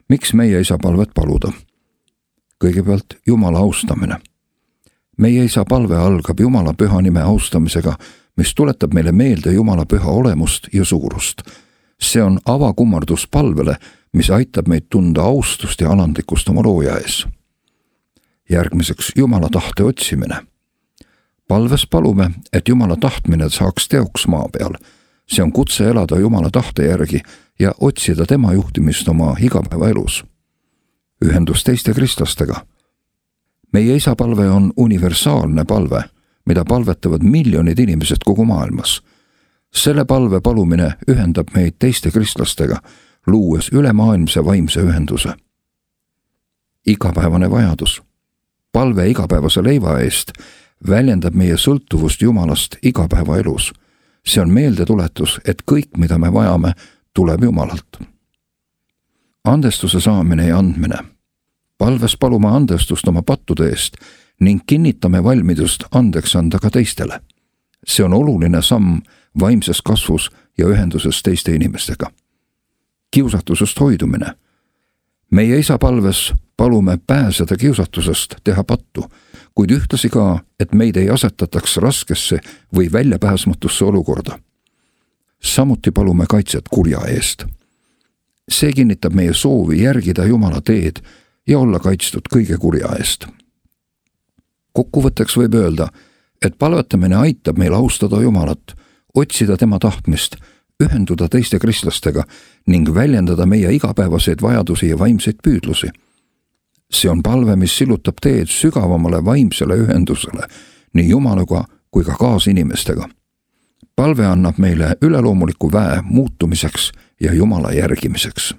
Miks meie isa palvet paluda? Kõigepealt Jumala austamine. Meie isa palve algab Jumala püha nime austamisega, mis tuletab meile meelde Jumala püha olemust ja suurust. See on avakummardus palvele, mis aitab meid tunda austust ja alandlikkust oma looja ees. Järgmiseks Jumala tahte otsimine. Palves palume, et Jumala tahtmine saaks teoks maa peal. See on kutse elada Jumala tahte järgi ja otsida tema juhtimist oma igapäevaelus. Ühendus teiste kristlastega. Meie isa palve on universaalne palve, mida palvetavad miljonid inimesed kogu maailmas. Selle palve palumine ühendab meid teiste kristlastega, luues ülemaailmse vaimse ühenduse. Igapäevane vajadus. Palve igapäevase leiva eest väljendab meie sõltuvust Jumalast igapäevaelus. See on meeldetuletus, et kõik, mida me vajame, tuleb Jumalalt. Andestuse saamine ja andmine. Palves palume andestust oma pattude eest ning kinnitame valmidust andeks anda ka teistele. See on oluline samm vaimses kasvus ja ühenduses teiste inimestega. Kiusatusest hoidumine. Meie isa palves palume pääseda kiusatusest teha pattu, kuid ühtlasi ka, et meid ei asetataks raskesse või väljapääsmatusse olukorda. Samuti palume kaitset kurja eest. See kinnitab meie soovi järgida Jumala teed ja olla kaitstud kõige kurja eest. Kokkuvõtteks võib öelda, et palvetamine aitab meil austada Jumalat, otsida tema tahtmist, ühenduda teiste kristlastega ning väljendada meie igapäevaseid vajadusi ja vaimseid püüdlusi. See on palve, mis sillutab teed sügavamale vaimsele ühendusele nii Jumalaga kui ka kaasinimestega. Palve annab meile üleloomuliku väe muutumiseks ja Jumala järgimiseks.